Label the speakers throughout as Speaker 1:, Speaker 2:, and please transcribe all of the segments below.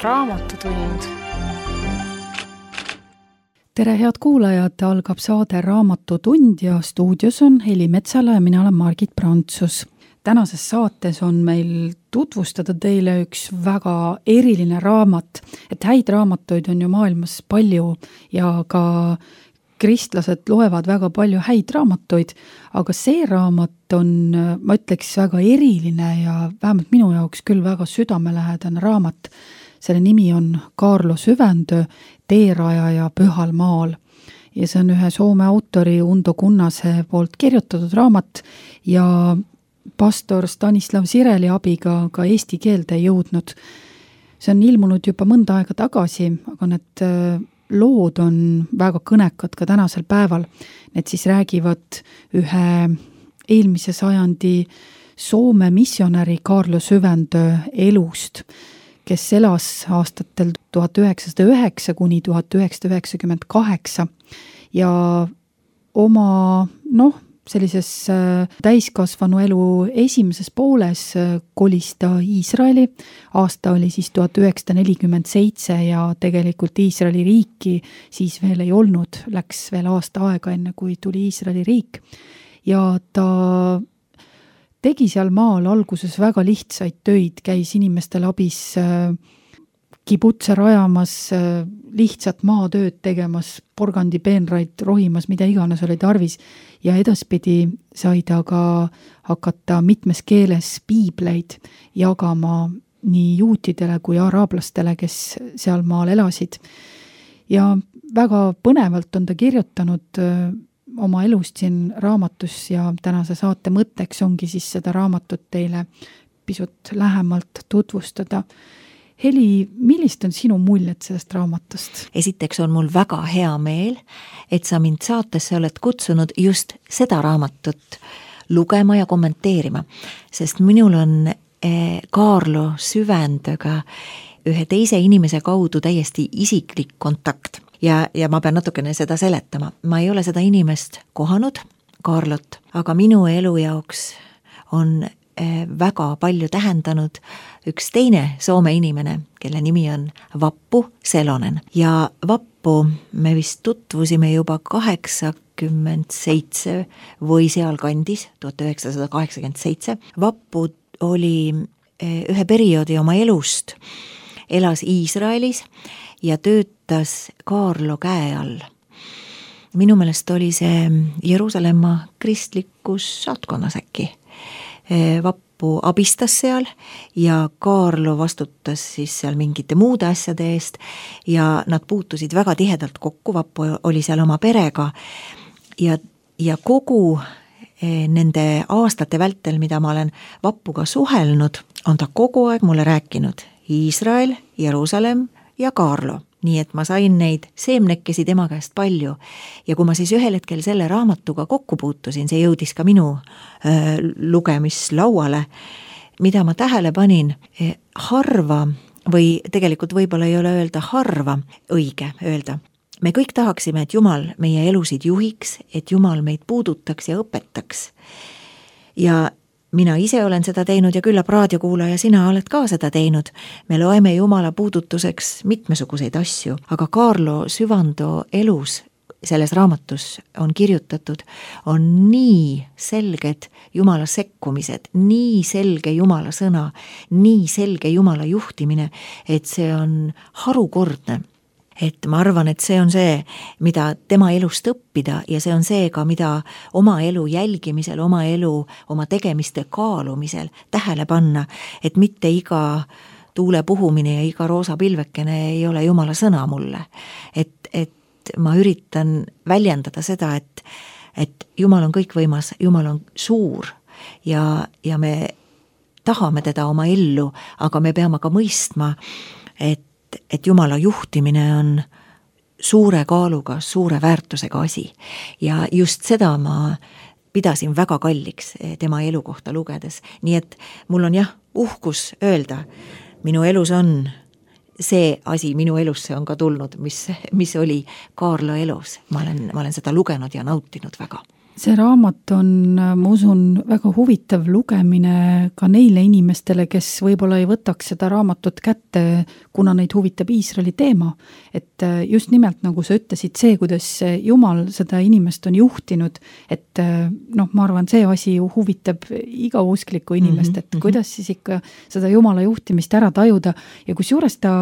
Speaker 1: Raamatutund.
Speaker 2: Tere head kuulajad, algab saade Raamatutund ja stuudios on Heli Metsala ja mina olen Margit Prantsus. Tänases saates on meil tutvustada teile üks väga eriline raamat, et häid raamatuid on ju maailmas palju ja ka kristlased loevad väga palju häid raamatuid, aga see raamat on, ma ütleks, väga eriline ja vähemalt minu jaoks küll väga südamelähedane raamat. Selle nimi on Kaarlo Syvändö, Teerajaja Pühal maal. Ja see on ühe Soome autori Undo Kunnase poolt kirjutatud raamat ja pastor Stanislav Sireli abiga ka eesti keelde jõudnud. See on ilmunud juba mõnda aega tagasi, aga need lood on väga kõnekad ka tänasel päeval. Need siis räägivad ühe eelmise sajandi Soome missionäri Kaarlo Syvändö elust, kes elas aastatel 1909 kuni 1998 ja oma, sellises täiskasvanu elu esimeses pooles kolis ta Iisraeli. Aasta oli siis 1947 ja tegelikult Iisraeli riiki siis veel ei olnud. Läks veel aasta aega enne, kui tuli Iisraeli riik. Ja ta tegi seal maal alguses väga lihtsaid töid, käis inimestel abis kibutse rajamas, lihtsat maatööd tegemas, porgandipeenraid rohimas, mida iganes oli tarvis. Ja edaspidi sai ta ka hakata mitmes keeles piibleid jagama nii juutidele kui araablastele, kes seal maal elasid. Ja väga põnevalt on ta kirjutanud oma elust siin raamatus ja tänase saate mõtteks ongi siis seda raamatut teile pisut lähemalt tutvustada. Heli, millist on sinu muljed sellest raamatust?
Speaker 3: Esiteks on mul väga hea meel, et sa mind saatesse oled kutsunud just seda raamatut lugema ja kommenteerima, sest minul on Kaarlo Syvändöga ühe teise inimese kaudu täiesti isiklik kontakt ja ma pean natukene seda seletama. Ma ei ole seda inimest kohanud, Kaarlot, aga minu elu jaoks on väga palju tähendanud üks teine Soome inimene, kelle nimi on Vappu Selonen. Ja Vappu me vist tutvusime juba 87 või sealkandis, 1987. Vappu oli ühe perioodi oma elust, elas Iisraelis ja töötas Kaarlo käe all. Minu meelest oli see Jeruusalemma kristlikus saatkonnas äkki. Vappu abistas seal ja Kaarlo vastutas siis seal mingite muude asjade eest ja nad puutusid väga tihedalt kokku. Vappu oli seal oma perega ja kogu nende aastate vältel, mida ma olen Vappuga suhelnud, on ta kogu aeg mulle rääkinud Iisrael, Jeruusalemm ja Kaarlo. Nii et ma sain neid seemnekesi tema käest palju ja kui ma siis ühel hetkel selle raamatuga kokku puutusin, see jõudis ka minu lugemislauale, mida ma tähele panin, harva või tegelikult võib-olla ei ole öelda harva, õige öelda. Me kõik tahaksime, et Jumal meie elusid juhiks, et Jumal meid puudutaks ja õpetaks. Ja mina ise olen seda teinud ja küllap raadiokuulaja, sina oled ka seda teinud. Me loeme Jumala puudutuseks mitmesuguseid asju, aga Kaarlo Syvändö elus selles raamatus on kirjutatud, on nii selged Jumala sekkumised, nii selge Jumala sõna, nii selge Jumala juhtimine, et see on harukordne. Et ma arvan, et see on see, mida tema elust õppida ja see on see ka, mida oma elu jälgimisel, oma elu, oma tegemiste kaalumisel tähele panna, et mitte iga tuule puhumine ja iga roosa pilvekene ei ole Jumala sõna mulle. Et ma üritan väljendada seda, et Jumal on kõikvõimas, Jumal on suur ja me tahame teda oma ellu, aga me peame ka mõistma, et Jumala juhtimine on suure kaaluga, suure väärtusega asi. Ja just seda ma pidasin väga kalliks tema elu kohta lugedes. Nii et mul on uhkus öelda, minu elus on see asi, minu elusse on ka tulnud, mis oli Kaarlo elus. Ma olen seda lugenud ja nautinud väga.
Speaker 2: See raamat on, ma usun, väga huvitav lugemine ka neile inimestele, kes võib-olla ei võtaks seda raamatut kätte, kuna neid huvitab Iisraeli teema. Et just nimelt, nagu sa ütlesid, see, kuidas Jumal seda inimest on juhtinud, et ma arvan, see asi ju huvitab iga usklikku inimest, et kuidas siis ikka seda Jumala juhtimist ära tajuda ja kusjuures ta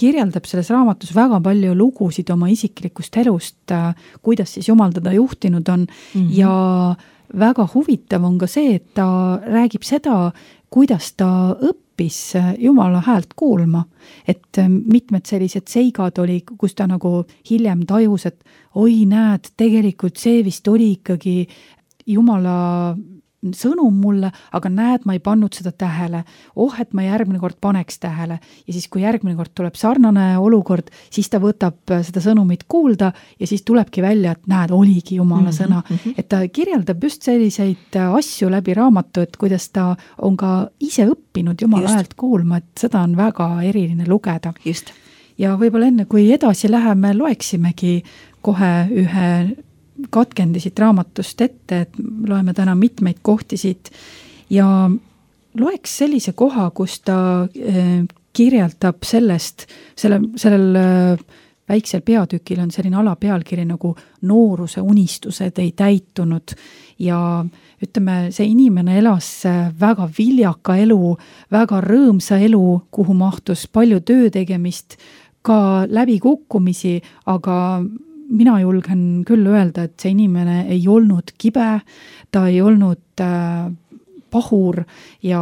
Speaker 2: kirjeldab selles raamatus väga palju lugusid oma isiklikust elust, kuidas siis Jumal teda juhtinud on. Ja väga huvitav on ka see, et ta räägib seda, kuidas ta õppis Jumala häält kuulma. Et mitmed sellised seigad oli, kus ta nagu hiljem tajus, et oi näed, tegelikult see vist oli ikkagi Jumala sõnum mulle, aga näed, ma ei pannud seda tähele. Et ma järgmine kord paneks tähele. Ja siis, kui järgmine kord tuleb sarnane olukord, siis ta võtab seda sõnumit kuulda ja siis tulebki välja, et näed, oligi Jumala sõna. Et ta kirjeldab just selliseid asju läbi raamatu, et kuidas ta on ka ise õppinud Jumala häält kuulma, et seda on väga eriline lugeda.
Speaker 3: Just.
Speaker 2: Ja võib-olla enne, kui edasi läheme, loeksimegi kohe ühe katkendisid raamatust ette, et loeme täna mitmeid kohtisid ja loeks sellise koha, kus ta kirjeldab sellest, sellel väiksel peatükil on selline alapealkiri nagu nooruse unistused ei täitunud ja ütleme, see inimene elas väga viljaka elu, väga rõõmsa elu, kuhu mahtus palju töö tegemist, ka läbikukkumisi, aga mina julgen küll öelda, et see inimene ei olnud kibe, ta ei olnud pahur ja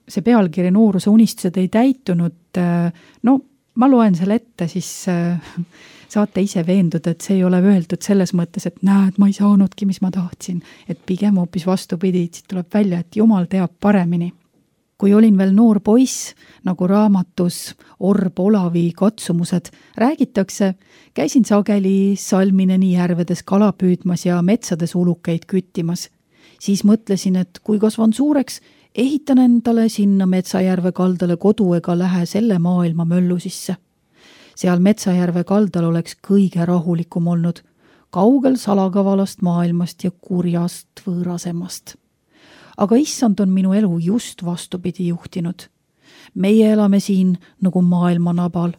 Speaker 2: see pealkiri nooruse unistused ei täitunud. Ma loen selle ette, siis saate ise veenduda, et see ei ole öeldud selles mõttes, et näed, ma ei saanudki, mis ma tahtsin. Et pigem hoopis vastupidi, siit tuleb välja, et Jumal teab paremini. Kui olin veel noor poiss, nagu raamatus Orb Olavi katsumused räägitakse, käisin sageli Salmineni järvedes kala püüdmas ja metsades ulukeid küttimas. Siis mõtlesin, et kui kasvan suureks, ehitan endale sinna Metsajärve kaldale kodu ega lähe selle maailma möllu sisse. Seal Metsajärve kaldal oleks kõige rahulikum olnud, kaugel salakavalast maailmast ja kurjast võõrasemast. Aga issand on minu elu just vastupidi juhtinud. Meie elame siin nagu maailmanabal.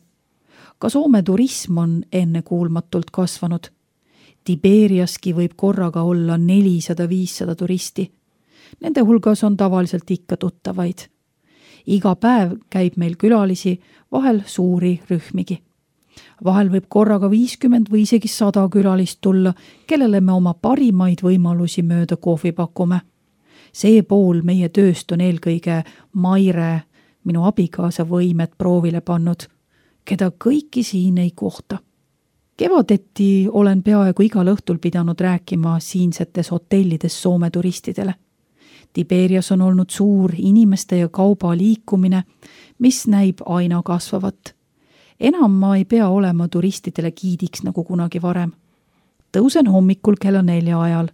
Speaker 2: Ka Soome turism on ennekuulmatult kasvanud. Tiberiaski võib korraga olla 400-500 turisti. Nende hulgas on tavaliselt ikka tuttavaid. Iga päev käib meil külalisi, vahel suuri rühmigi. Vahel võib korraga 50 või isegi 100 külalist tulla, kellele me oma parimaid võimalusi mööda kohvi pakume. See pool meie tööst on eelkõige Maire, minu abikaasa võimed proovile pannud, keda kõiki siin ei kohta. Kevadeti olen peaaegu igal õhtul pidanud rääkima siinsetes hotellides Soome turistidele. Tiberias on olnud suur inimeste ja kauba liikumine, mis näib aina kasvavat. Enam ma ei pea olema turistidele giidiks nagu kunagi varem. Tõusen hommikul kella 4 ajal.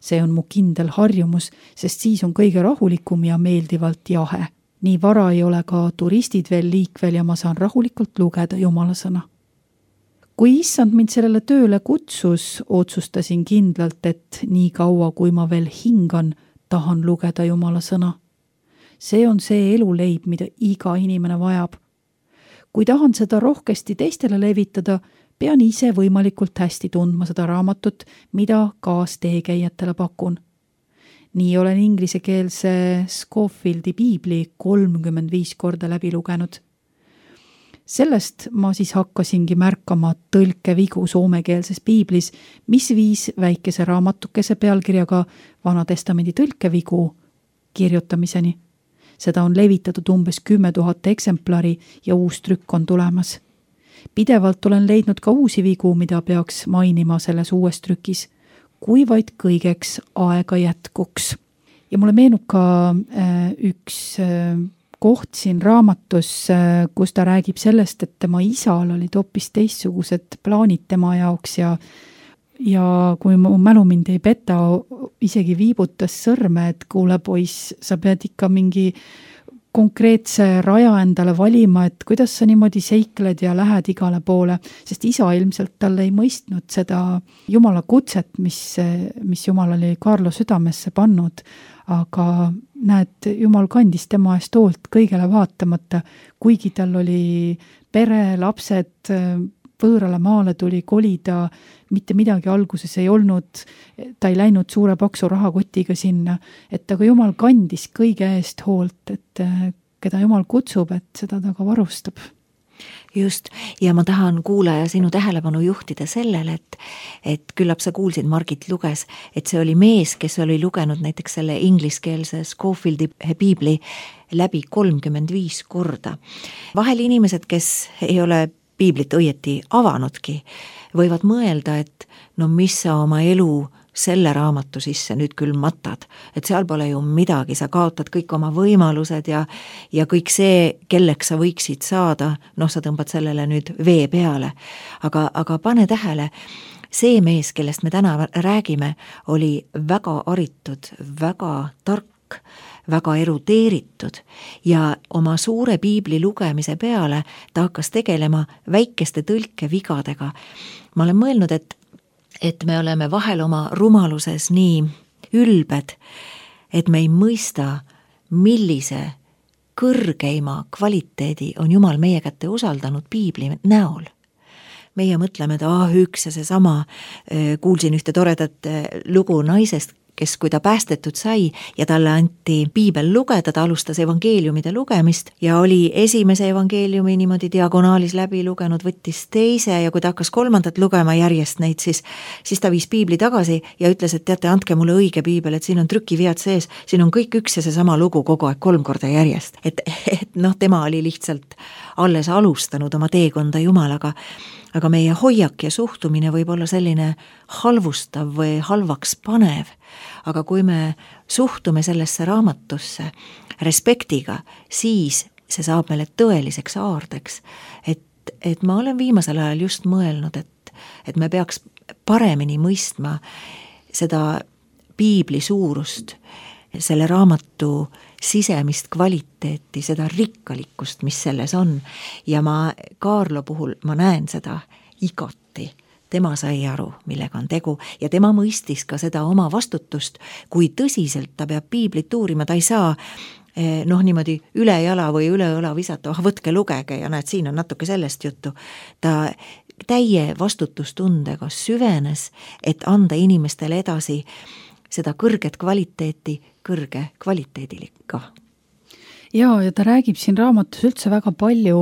Speaker 2: See on mu kindel harjumus, sest siis on kõige rahulikum ja meeldivalt jahe. Nii vara ei ole ka turistid veel liikvel ja ma saan rahulikult lugeda Jumala sõna. Kui issand mind sellele tööle kutsus, otsustasin kindlalt, et nii kaua, kui ma veel hingan, tahan lugeda Jumala sõna. See on see eluleib, mida iga inimene vajab. Kui tahan seda rohkesti teistele levitada, pean ise võimalikult hästi tundma seda raamatut, mida kaasteekäijatele pakun. Nii olen inglisekeelse Scofieldi piibli 35 korda läbi lugenud. Sellest ma siis hakkasingi märkama tõlkevigu soomekeelses piiblis, mis viis väikese raamatukese pealkirjaga Vana Testamendi tõlkevigu kirjutamiseni. Seda on levitatud umbes 10 000 eksemplari ja uus trükk on tulemas. Pidevalt olen leidnud ka uusi vigu, mida peaks mainima selles uues trükis, kui vaid kõigeks aega jätkuks. Ja mulle meenub ka üks koht siin raamatus, kus ta räägib sellest, et tema isal olid hoopis teistsugused plaanid tema jaoks ja kui mu mälu mind ei peta, isegi viibutas sõrme, et kuule poiss, sa pead ikka mingi konkreetse raja endale valima, et kuidas sa niimoodi seikled ja lähed igale poole, sest isa ilmselt talle ei mõistnud seda Jumala kutset, mis Jumal oli Kaarlo südamesse pannud, aga näed, Jumal kandis tema eest hoolt kõigele vaatamata, kuigi tal oli pere, lapsed, võõrale maale tuli kolida, mitte midagi alguses ei olnud, ta ei läinud suure paksu rahakotiga sinna, et aga Jumal kandis kõige eest hoolt, et keda Jumal kutsub, et seda ta ka varustab.
Speaker 3: Just, ja ma tahan kuulaja sinu tähelepanu juhtida sellele, et küllap sa kuulsid, Margit luges, et see oli mees, kes oli lugenud näiteks selle ingliskeelse Scofieldi piibli läbi 35 korda. Vahel inimesed, kes ei ole piiblit õieti avanudki, võivad mõelda, et no mis sa oma elu selle raamatu sisse nüüd küll matad, et seal pole ju midagi, sa kaotad kõik oma võimalused ja kõik see, kelleks sa võiksid saada, noh, sa tõmbad sellele nüüd vee peale. Aga pane tähele, see mees, kellest me täna räägime, oli väga haritud, väga tark, väga erudeeritud ja oma suure piibli lugemise peale ta hakkas tegelema väikeste tõlkevigadega. Ma olen mõelnud, et me oleme vahel oma rumaluses nii ülbed, et me ei mõista, millise kõrgeima kvaliteedi on Jumal meie kätte usaldanud piibli näol. Meie mõtleme, et üks ja seesama, kuulsin ühte toredat lugu naisest, kes kui ta päästetud sai ja talle anti piibel lugeda, ta alustas evangeeliumide lugemist ja oli esimese evangeeliumi niimoodi diagonaalis läbi lugenud, võttis teise ja kui ta hakkas kolmandat lugema järjest neid, siis ta viis piibli tagasi ja ütles, et teate, andke mulle õige piibel, et siin on trükivead sees, siin on kõik üks ja seesama lugu kogu aeg 3 korda järjest. Et noh, tema oli lihtsalt alles alustanud oma teekonda Jumalaga, aga meie hoiak ja suhtumine võib olla selline halvustav või halvaks panev, aga kui me suhtume sellesse raamatusse respektiga, siis see saab meile tõeliseks aardeks, et ma olen viimasel ajal just mõelnud, et me peaks paremini mõistma seda piibli suurust, selle raamatu sisemist kvaliteeti, seda rikkalikkust, mis selles on. Ja ma Kaarlo puhul, ma näen seda igati. Tema sai aru, millega on tegu ja tema mõistis ka seda oma vastutust, kui tõsiselt ta peab piiblit uurima, ta ei saa niimoodi üle jala või üle õla visata, võtke lugege ja näed, siin on natuke sellest juttu. Ta täie vastutustundega süvenes, et anda inimestele edasi seda kõrget kvaliteeti kõrge kvaliteediliga.
Speaker 2: Ja ta räägib siin raamatus üldse väga palju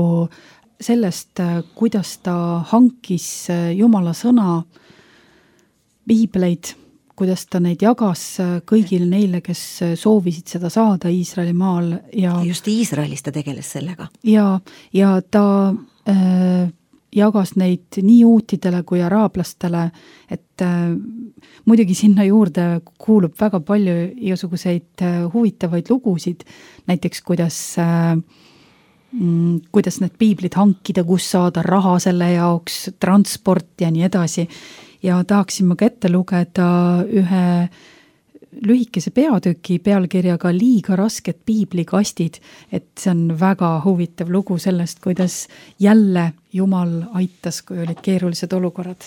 Speaker 2: sellest, kuidas ta hankis Jumala sõna piibleid, kuidas ta neid jagas kõigile neile, kes soovisid seda saada Iisraeli maal. Ja
Speaker 3: just Iisraelis ta tegeles sellega.
Speaker 2: Ja ta jagas neid nii uutidele kui araablastele, et muidugi sinna juurde kuulub väga palju igasuguseid huvitavaid lugusid, näiteks kuidas need piiblid hankida, kus saada raha selle jaoks, transport ja nii edasi. Ja tahaksin ma ka ette lugeda ühe lühikese peatüki pealkirjaga Liiga rasked piiblikastid, et see on väga huvitav lugu sellest, kuidas jälle Jumal aitas, kui olid keerulised olukorrad.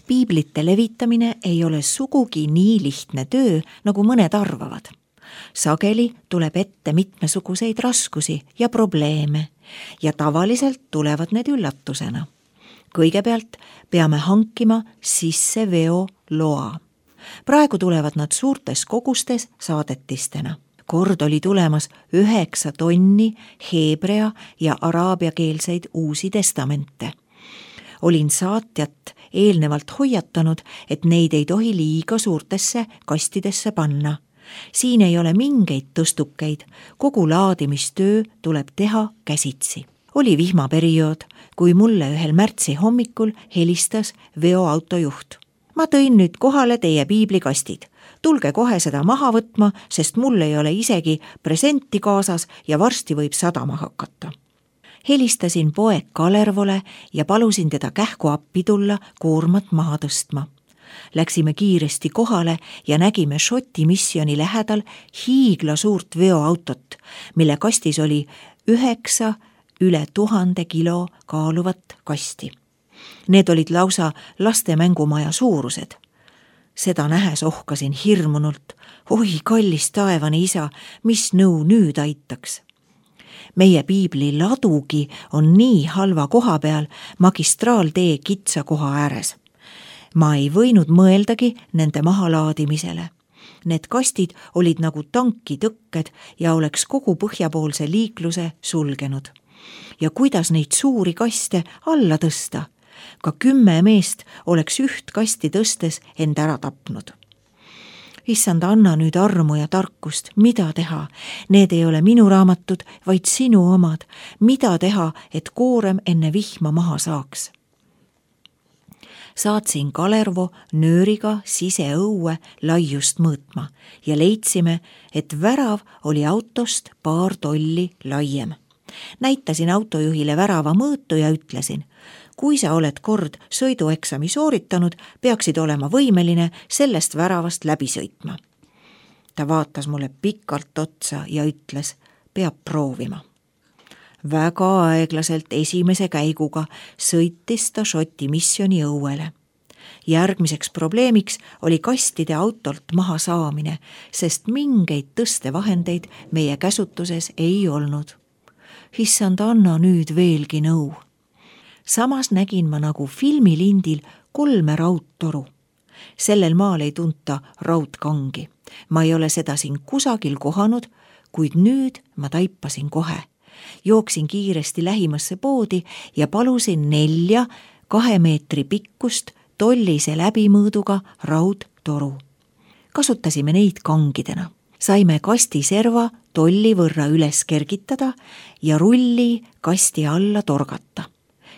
Speaker 3: Piiblite levitamine ei ole sugugi nii lihtne töö, nagu mõned arvavad. Sageli tuleb ette mitmesuguseid raskusi ja probleeme ja tavaliselt tulevad need üllatusena. Kõigepealt peame hankima sisseveo loa. Praegu tulevad nad suurtes kogustes saadetistena. Kord oli tulemas 9 tonni heebrea ja araabiakeelseid uusi testamente. Olin saatjat eelnevalt hoiatanud, et neid ei tohi liiga suurtesse kastidesse panna. Siin ei ole mingeid tõstukeid, kogu laadimistöö tuleb teha käsitsi. Oli vihmaperiood, kui mulle ühel märtsi hommikul helistas veoautojuht. Ma tõin nüüd kohale teie piiblikastid. Tulge kohe seda maha võtma, sest mul ei ole isegi presenti kaasas ja varsti võib sadama hakata. Helistasin poeg Kalervole ja palusin teda kähku appi tulla koormat maha tõstma. Läksime kiiresti kohale ja nägime Šoti missiooni lähedal hiigla suurt veoautot, mille kastis oli 9 üle 1000 kilo kaaluvat kasti. Need olid lausa laste mängumaja suurused. Seda nähes ohkasin hirmunult. Oi, kallis taevane isa, mis nõu nüüd aitaks? Meie piibli ladugi on nii halva koha peal magistraaltee kitsa koha ääres. Ma ei võinud mõeldagi nende mahalaadimisele. Need kastid olid nagu tankitõkked ja oleks kogu põhjapoolse liikluse sulgenud. Ja kuidas neid suuri kaste alla tõsta? Ka 10 meest oleks üht kasti tõstes end ära tapnud. Issand, anna nüüd armu ja tarkust, mida teha? Need ei ole minu raamatud, vaid sinu omad. Mida teha, et koorem enne vihma maha saaks? Saatsin Kalervo nööriga siseõue laiust mõõtma ja leidsime, et värav oli autost paar tolli laiem. Näitasin autojuhile värava mõõtu ja ütlesin, kui sa oled kord sõidueksami sooritanud, peaksid olema võimeline sellest väravast läbi sõitma. Ta vaatas mulle pikalt otsa ja ütles, peab proovima. Väga aeglaselt esimese käiguga sõitis ta Šoti missiooni õuele. Järgmiseks probleemiks oli kastide autolt maha saamine, sest mingeid tõstevahendeid meie käsutuses ei olnud. Issand, anna nüüd veelgi nõu. Samas nägin ma nagu filmilindil 3 raudtoru. Sellel maal ei tunta raudkangi. Ma ei ole seda siin kusagil kohanud, kuid nüüd ma taipasin kohe. Jooksin kiiresti lähimasse poodi ja palusin 4 2 meetri pikkust tollise läbimõõduga raudtoru. Kasutasime neid kangidena. Saime kasti serva tolli võrra üles kergitada ja rulli kasti alla torgata.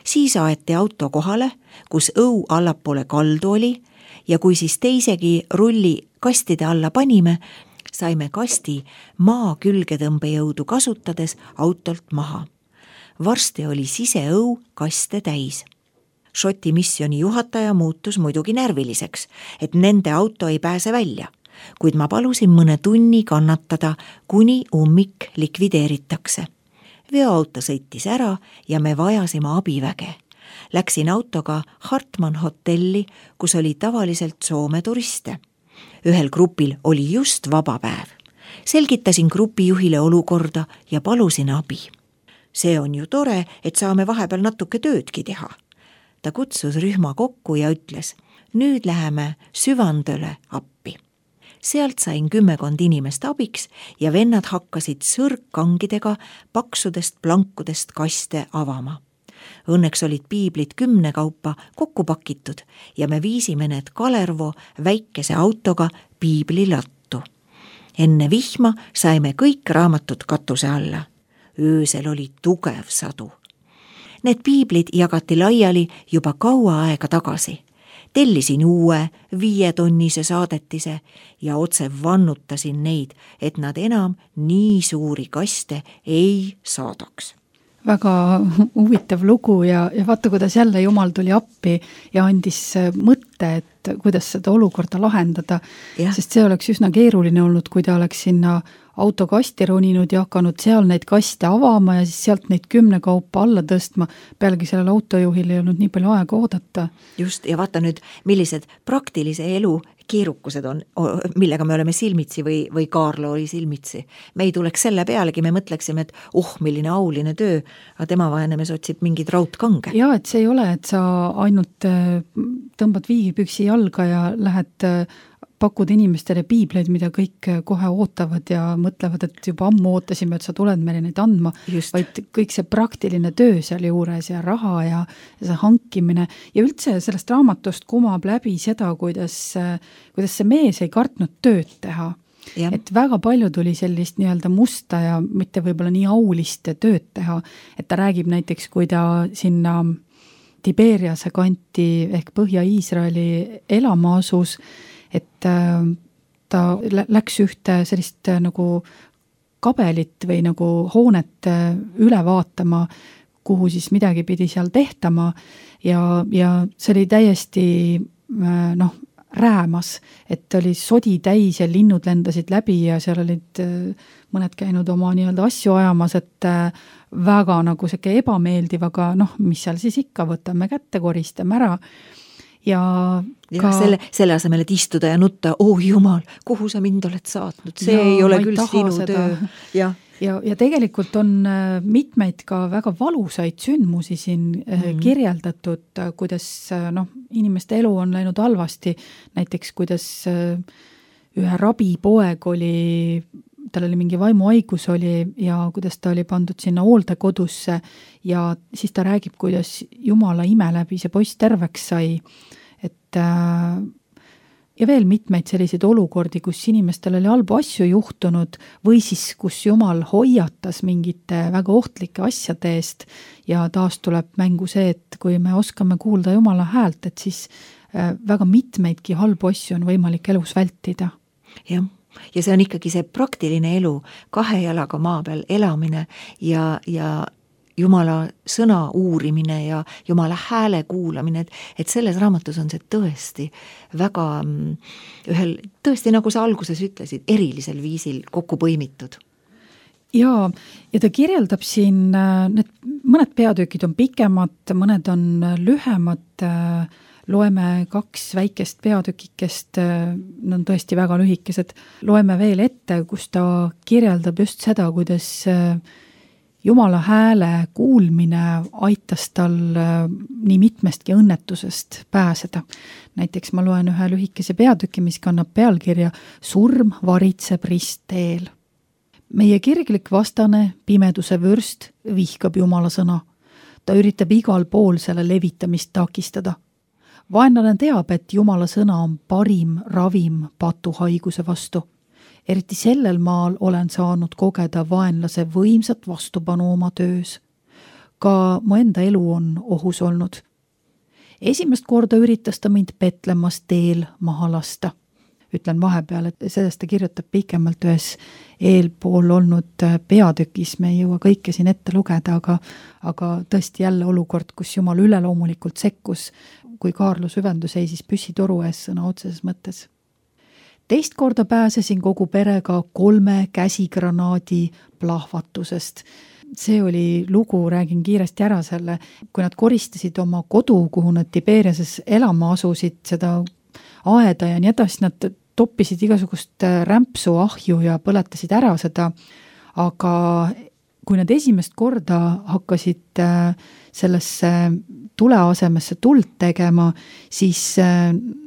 Speaker 3: Siis aeti auto kohale, kus õu allapoole kaldu oli ja kui siis teisegi rulli kastide alla panime, saime kasti maa külgetõmbejõudu kasutades autolt maha. Varsti oli siseõu kaste täis. Šoti missiooni juhataja muutus muidugi närviliseks, et nende auto ei pääse välja, kuid ma palusin mõne tunni kannatada, kuni ummik likvideeritakse. Veoauto sõitis ära ja me vajasime abiväge. Läksin autoga Hartman hotelli, kus oli tavaliselt Soome turiste. Ühel grupil oli just vaba päev. Selgitasin grupijuhile olukorda ja palusin abi. See on ju tore, et saame vahepeal natuke töödki teha. Ta kutsus rühma kokku ja ütles, nüüd läheme Süvandöle appi. Sealt sain 10 inimest abiks ja vennad hakkasid sõrgkangidega paksudest plankudest kaste avama. Õnneks olid piiblid 10 kaupa kokku pakitud ja me viisime need Kalervo väikese autoga piiblilattu. Enne vihma saime kõik raamatud katuse alla. Öösel oli tugev sadu. Need piiblid jagati laiali juba kaua aega tagasi. Tellisin uue 5-tonnise saadetise ja otse vannutasin neid, et nad enam nii suuri kaste ei saadaks.
Speaker 2: Väga huvitav lugu ja vaata, kuidas jälle Jumal tuli appi ja andis mõtte, et kuidas seda olukorda lahendada, sest see oleks üsna keeruline olnud, kui ta oleks sinna autokasti roninud ja hakanud seal neid kaste avama ja siis sealt neid 10 kaupa alla tõstma. Pealegi sellel autojuhil ei olnud nii palju aega oodata.
Speaker 3: Just, ja vaata nüüd, millised praktilise elu keerukused on, millega me oleme silmitsi või Kaarlo oli silmitsi. Me ei tuleks selle pealegi, me mõtleksime, et milline auline töö, aga tema vahenemes otsib mingid raudkange.
Speaker 2: Ja, et see ei ole, et sa ainult tõmbad viigipüksi jalga ja lähed pakud inimestele piibleid, mida kõik kohe ootavad ja mõtlevad, et juba ammu ootasime, et sa tuled meile neid andma, vaid kõik see praktiline töö seal juures ja raha ja see hankimine ja üldse sellest raamatust kumab läbi seda, kuidas see mees ei kartnud tööd teha. Ja. Et väga palju tuli sellist nii-öelda musta ja mitte võib-olla nii aulist tööd teha, et ta räägib näiteks, kui ta sinna Tiberiase kanti ehk Põhja-Iisraeli elama asus, et ta läks ühte sellist nagu kabelit või nagu hoonet üle vaatama, kuhu siis midagi pidi seal tehtama ja see oli täiesti räämas, et oli sodi täis ja linnud lendasid läbi ja seal olid mõned käinud oma nii-öelda asju ajamas, et väga nagu selline ebameeldiv, aga mis seal siis ikka, võtame kätte, koristame ära. Ja
Speaker 3: selle asemel, et istuda ja nutta, jumal, kuhu sa mind oled saatnud, see ei ole küll sinu töö.
Speaker 2: Ja tegelikult on mitmeid ka väga valusaid sündmusi siin kirjeldatud, kuidas inimeste elu on läinud halvasti, näiteks kuidas ühe rabipoeg oli, tal oli mingi vaimuhaigus oli ja kuidas ta oli pandud sinna hooldekodusse ja siis ta räägib, kuidas Jumala ime läbi see poiss terveks sai, et ja veel mitmeid selliseid olukordi, kus inimestel oli halbu asju juhtunud või siis, kus Jumal hoiatas mingite väga ohtlike asjade eest ja taas tuleb mängu see, et kui me oskame kuulda Jumala häält, et siis väga mitmeidki halbu asju on võimalik elus vältida.
Speaker 3: Jah, ja see on ikkagi see praktiline elu, 2 jalaga maa peal elamine ja Jumala sõna uurimine ja Jumala hääle kuulamine, et selles raamatus on see tõesti väga tõesti, nagu sa alguses ütlesid, erilisel viisil kokku põimitud.
Speaker 2: Ja ta kirjeldab siin, need mõned peatükid on pikemad, mõned on lühemad, loeme 2 väikest peatükikest, on tõesti väga lühikesed, loeme veel ette, kus ta kirjeldab just seda, kuidas Jumala hääle kuulmine aitas tal nii mitmestki õnnetusest pääseda. Näiteks ma loen ühe lühikese peatüki, mis kannab pealkirja Surm varitseb ristteel. Meie kirglik vastane, pimeduse vürst, vihkab Jumala sõna. Ta üritab igal pool selle levitamist takistada. Vaenlane teab, et Jumala sõna on parim ravim patuhaiguse vastu. Eriti sellel maal olen saanud kogeda vaenlase võimsat vastupanu oma töös. Ka mu enda elu on ohus olnud. Esimest korda üritas ta mind Petlemas teel maha lasta. Ütlen vahepeal, et sellest ta kirjutab pikemalt ühes eelpool olnud peatükis, me ei jõua kõike siin ette lugeda, aga tõesti jälle olukord, kus Jumal üleloomulikult sekkus, kui Kaarlo süvendu seisis püssitoru ees sõna otseses mõttes. Teist korda pääsesin kogu perega 3 käsigranaadi plahvatusest. See oli lugu, räägin kiiresti ära selle, kui nad koristasid oma kodu, kuhu nad Tiberiases elama asusid, seda aeda ja nii edasi, nad toppisid igasugust rämpsu ahju ja põletasid ära seda, aga kui nad esimest korda hakkasid sellesse tule asemesse tuld tegema, siis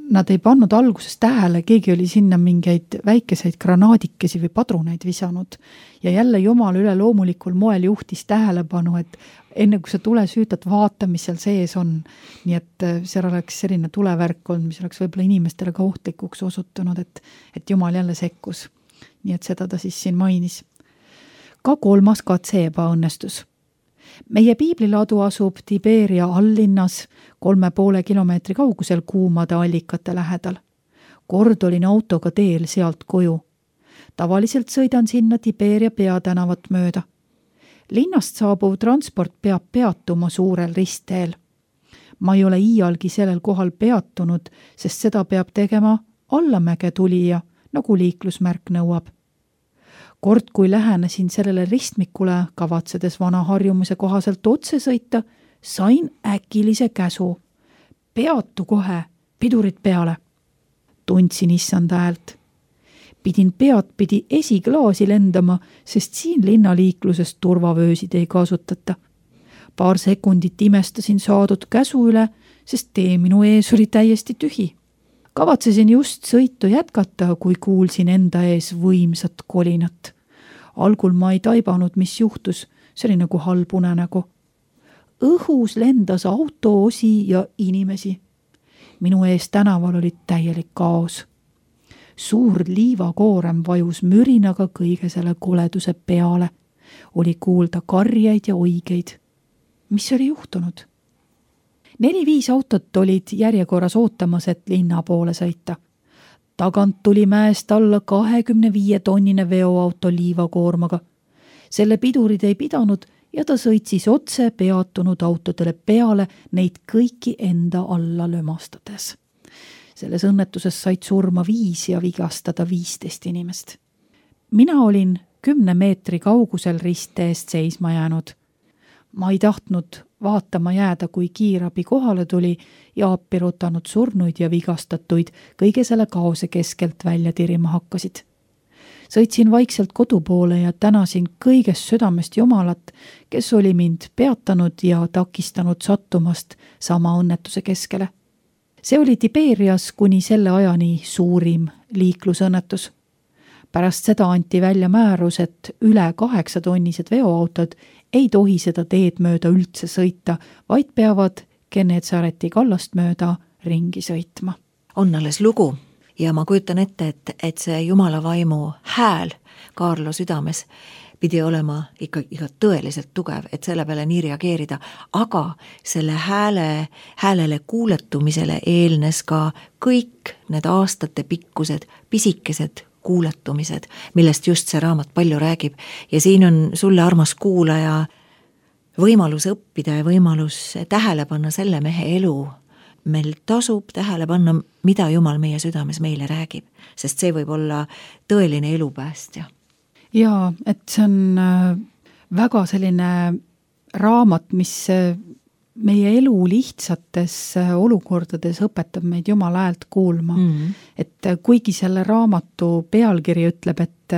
Speaker 2: nad ei pannud alguses tähele, keegi oli sinna mingeid väikeseid granaadikesi või padruneid visanud. Ja jälle Jumal üleloomulikul moel juhtis tähelepanu, et enne kui sa tule süütad, vaata, mis seal sees on. Nii et seal oleks selline tulevärk olnud, mis oleks võib-olla inimestele ka ohtlikuks osutunud, et Jumal jälle sekkus. Nii et seda ta siis siin mainis. Ka 3. katse ebaõnnestus. Meie piibliladu asub Tiberia alllinnas 3,5 kilomeetri kaugusel kuumade allikate lähedal. Kord olin autoga teel sealt koju. Tavaliselt sõidan sinna Tiberia peatänavat mööda. Linnast saabuv transport peab peatuma suurel ristteel. Ma ei ole iialgi sellel kohal peatunud, sest seda peab tegema allamäge tulija, nagu liiklusmärk nõuab. Kord, kui lähenesin sellele ristmikule, kavatsedes vana harjumuse kohaselt otse sõita, sain äkilise käsu. Peatu kohe, pidurid peale. Tundsin issanda häält. Pidin peadpidi esiklaasi lendama, sest siin linnaliikluses turvavöösid ei kasutata. Paar sekundit imestasin saadud käsu üle, sest tee minu ees oli täiesti tühi. Kavatsesin just sõitu jätkata, kui kuulsin enda ees võimsat kolinat. Algul ma ei taibanud, mis juhtus, see oli nagu halb unenägu. Õhus lendas autoosi ja inimesi. Minu ees tänaval oli täielik kaos. Suur liivakoorem vajus mürinaga kõige selle koleduse peale. Oli kuulda karjeid ja oigeid. Mis oli juhtunud? 4-5 autot olid järjekorras ootamas, et linna poole sõita. Tagant tuli mäest alla 25-tonnine veoauto liivakoormaga. Selle pidurid ei pidanud ja ta sõitsis otse peatunud autodele peale, neid kõiki enda alla lömastades. Selles õnnetuses said surma 5 ja vigastada 15 inimest. Mina olin 10 meetri kaugusel ristteest seisma jäänud. Ma ei tahtnud vaatama jääda, kui kiirabi kohale tuli ja appi rutanud surnuid ja vigastatuid kõige selle kaose keskelt välja tirima hakkasid. Sõitsin vaikselt kodu poole ja tänasin kõigest südamest Jumalat, kes oli mind peatanud ja takistanud sattumast sama õnnetuse keskele. See oli Tiberias kuni selle ajani suurim liiklusõnnetus. Pärast seda anti välja määrus, et üle 8-tonnised veoautod ei tohi seda teed mööda üldse sõita, vaid peavad Genetsareti kallast mööda ringi sõitma.
Speaker 3: On alles lugu. Ja ma kujutan ette, et see Jumala vaimu hääl Kaarlo südames pidi olema ikka tõeliselt tugev, et selle peale nii reageerida, aga selle häälele kuuletumisele eelnes ka kõik need aastate pikkused, pisikesed kuuletumised, millest just see raamat palju räägib. Ja siin on sulle, armas kuulaja, võimalus õppida ja võimalus tähele panna selle mehe elu. Meil tasub tähele panna, mida Jumal meie südames meile räägib, sest see võib olla tõeline elupäästja.
Speaker 2: Jaa, et see on väga selline raamat, mis meie elu lihtsates olukordades õpetab meid Jumala häält kuulma. Et kuigi selle raamatu pealkiri ütleb, et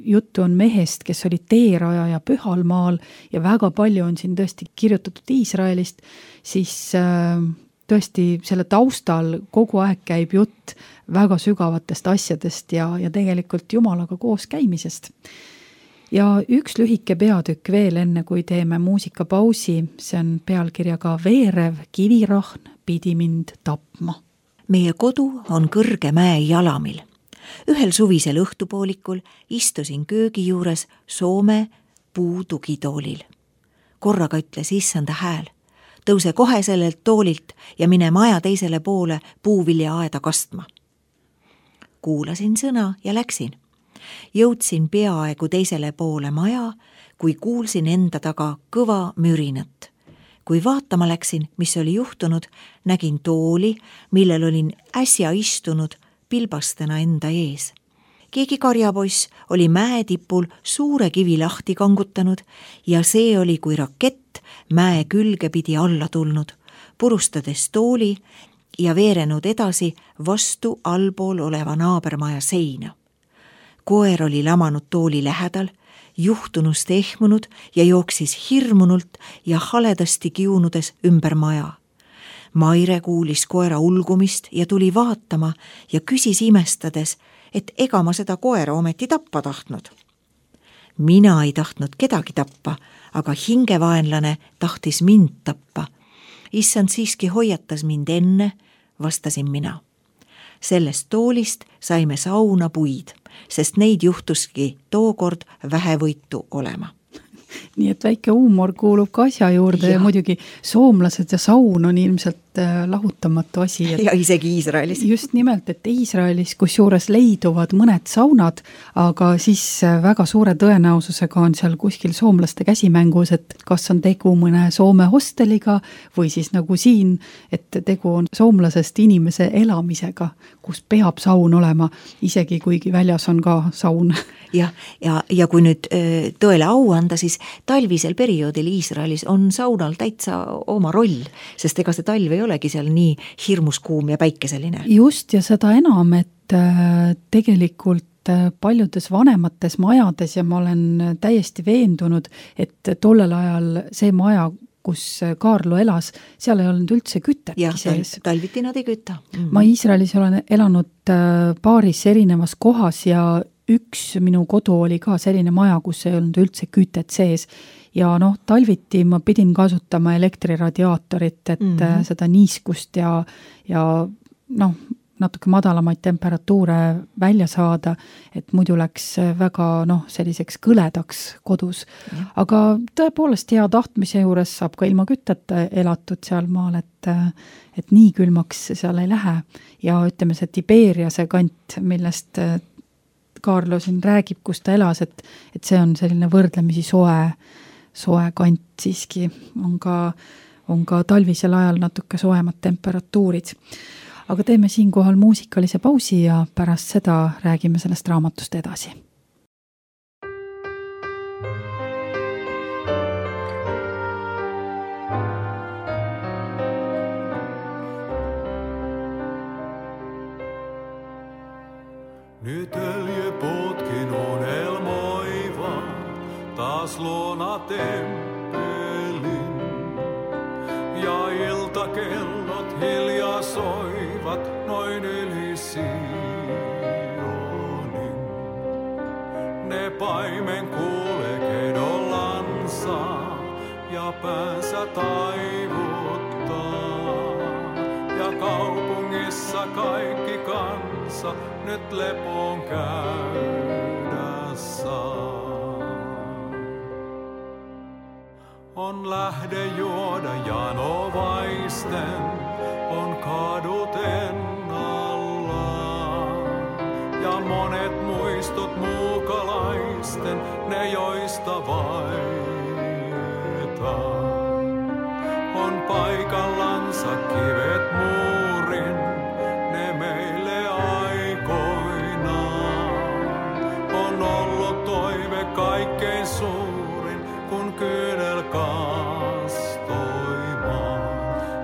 Speaker 2: juttu on mehest, kes oli teerajaja Pühal maal ja väga palju on siin tõesti kirjutatud Iisraelist, siis tõesti selle taustal kogu aeg käib jutt väga sügavatest asjadest ja tegelikult Jumalaga koos käimisest. Ja üks lühike peatükk veel enne, kui teeme muusikapausi, see on pealkirjaga Veerev kivirahn pidi mind tapma.
Speaker 3: Meie kodu on kõrge mäe jalamil. Ühel suvisel õhtupoolikul istusin köögi juures Soome puutugitoolil. Korraga ütles issanda hääl. Tõuse kohe sellelt toolilt ja mine maja teisele poole puuviljaaeda kastma. Kuulasin sõna ja läksin. Jõudsin peaaegu teisele poole maja, kui kuulsin enda taga kõva mürinat. Kui vaatama läksin, mis oli juhtunud, nägin tooli, millel olin äsja istunud pilbastena enda ees. Keegi karjapoiss oli mäetipul suure kivi lahti kangutanud ja see oli kui rakett mäe külge pidi alla tulnud, purustades tooli ja veerenud edasi vastu allpool oleva naabermaja seina. Koer oli lamanud tooli lähedal, juhtunust ehmunud ja jooksis hirmunult ja haledasti kiunudes ümber maja. Maire kuulis koera ulgumist ja tuli vaatama ja küsis imestades, et ega ma seda koera ometi tappa tahtnud. Mina ei tahtnud kedagi tappa, aga hingevaenlane tahtis mind tappa. Issand siiski hoiatas mind enne, vastasin mina. Sellest toolist saime sauna puid, sest neid juhtuski tookord vähevõitu olema.
Speaker 2: Nii et väike huumor kuulub ka asja juurde ja muidugi soomlased ja saun on ilmselt lahutamatu asi.
Speaker 3: Ja isegi Iisraelis.
Speaker 2: Just nimelt, et Iisraelis, kus juures leiduvad mõned saunad, aga siis väga suure tõenäosusega on seal kuskil soomlaste käsimängus, et kas on tegu mõne Soome hosteliga või siis nagu siin, et tegu on soomlasest inimese elamisega, kus peab saun olema, isegi kuigi väljas on ka saun.
Speaker 3: Ja kui nüüd tõele au anda, siis talvisel perioodil Iisraelis on saunal täitsa oma roll, sest ega see talv ei olegi seal nii hirmus kuum ja päikeseline.
Speaker 2: Just, ja seda enam, et tegelikult paljudes vanemates majades ja ma olen täiesti veendunud, et tollel ajal see maja, kus Kaarlo elas, seal ei olnud üldse kütetki sees.
Speaker 3: Ja talviti nad ei kütta.
Speaker 2: Ma Iisraelis olen elanud paaris erinevas kohas ja üks minu kodu oli ka selline maja, kus ei olnud üldse kütet sees ja talviti ma pidin kasutama elektriradiaatorit, et seda niiskust ja natuke madalamaid temperatuure välja saada, et muidu läks väga selliseks kõledaks kodus. Aga tõepoolest hea tahtmise juures saab ka ilma kütteta elatud seal maal, et nii külmaks seal ei lähe ja ütleme see Tiberiase kant, millest Kaarlo siin räägib, kus ta elas, et see on selline võrdlemisi soe kant siiski, on ka talvisel ajal natuke soemad temperatuurid. aga teeme siinkohal muusikalise pausi ja pärast seda räägime sellest raamatust edasi.
Speaker 1: Nyt öljyputkin unelmoiva taas luona temppelin. Ja iltakellot hiljaa soivat noin yli Sionin. Ne paimen kuulee kedollansa ja päänsä taivuttaa. Ja kaupungissa kaikki kansa nyt lepoon käydä saa. On lähde juoda janovaisten, on kadut ennallaan. Ja monet muistot muukalaisten, ne joista vaietaan. On paikallansa kivet muurin, ne meille aikoinaan. On ollut toive kaikkein suurin, kun kyynel kastoimaan.